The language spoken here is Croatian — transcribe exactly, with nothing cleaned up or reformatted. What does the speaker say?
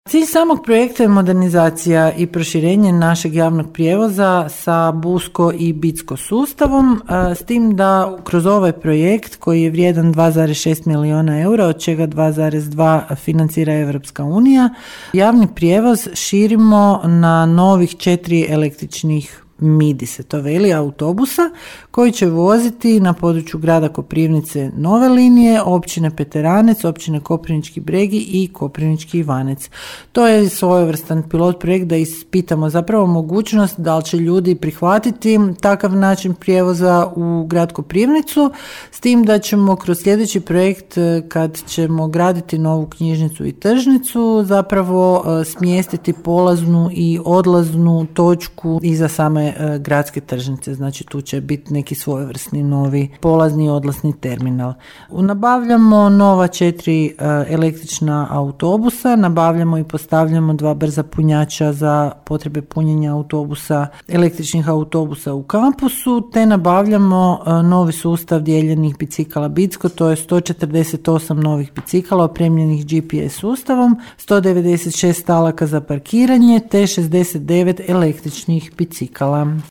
Cilj samog projekta je modernizacija i proširenje našeg javnog prijevoza sa busko i bitsko sustavom, s tim da kroz ovaj projekt koji je vrijedan dva zarez šest milijuna eura, od čega dva zarez dva financira Europska unija, javni prijevoz širimo na novih četiri električnih MIDI se to veli, autobusa koji će voziti na području grada Koprivnice nove linije, općine Peteranec, općine Koprivnički Bregi i Koprivnički Ivanec. To je svojevrstan pilot projekt da ispitamo zapravo mogućnost da li će ljudi prihvatiti takav način prijevoza u grad Koprivnicu, s tim da ćemo kroz sljedeći projekt kad ćemo graditi novu knjižnicu i tržnicu zapravo smjestiti polaznu i odlaznu točku iza same gradske tržnice, znači tu će biti neki svojevrsni novi polazni i odlasni terminal. Nabavljamo nova četiri električna autobusa, nabavljamo i postavljamo dva brza punjača za potrebe punjenja autobusa, električnih autobusa u kampusu, te nabavljamo novi sustav dijeljenih bicikala Bitsko, to je sto četrdeset osam novih bicikala opremljenih G P S sustavom, sto devedeset šest stalaka za parkiranje te šezdeset devet električnih bicikala.